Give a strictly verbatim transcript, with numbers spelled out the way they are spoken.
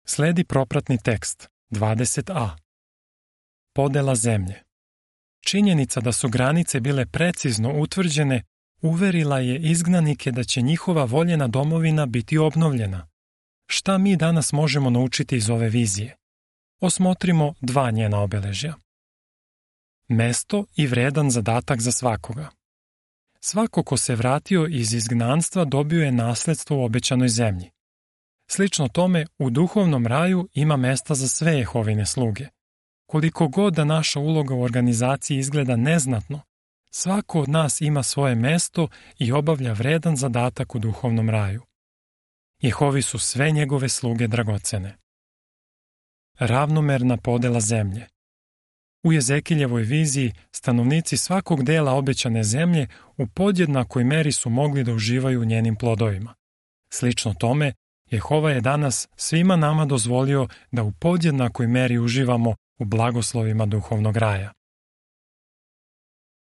Sledi propratni tekst dvadeset a. Podela zemlje. Činjenica da su granice bile precizno utvrđene uverila je izgnanike da će njihova voljena domovina biti obnovljena. Šta mi danas možemo naučiti iz ove vizije? Osmotrimo dva njena obeležja. Mesto i vredan zadatak za svakoga. Svako ko se vratio iz izgnanstva dobio je nasledstvo u obećanoj zemlji. Slično tome, u duhovnom raju ima mesta za sve Jehovine sluge. Koliko god da naša uloga u organizaciji izgleda neznatno, svako od nas ima svoje mesto i obavlja vredan zadatak u duhovnom raju. Jehovi su sve njegove sluge dragocene. Ravnomerna podela zemlje. U Jezekiljevoj viziji stanovnici svakog dela obećane zemlje u podjednakoj meri su mogli da uživaju u njenim plodovima. Slično tome, Jehova je danas svima nama dozvolio da u podjednakoj meri uživamo u blagoslovima duhovnog raja.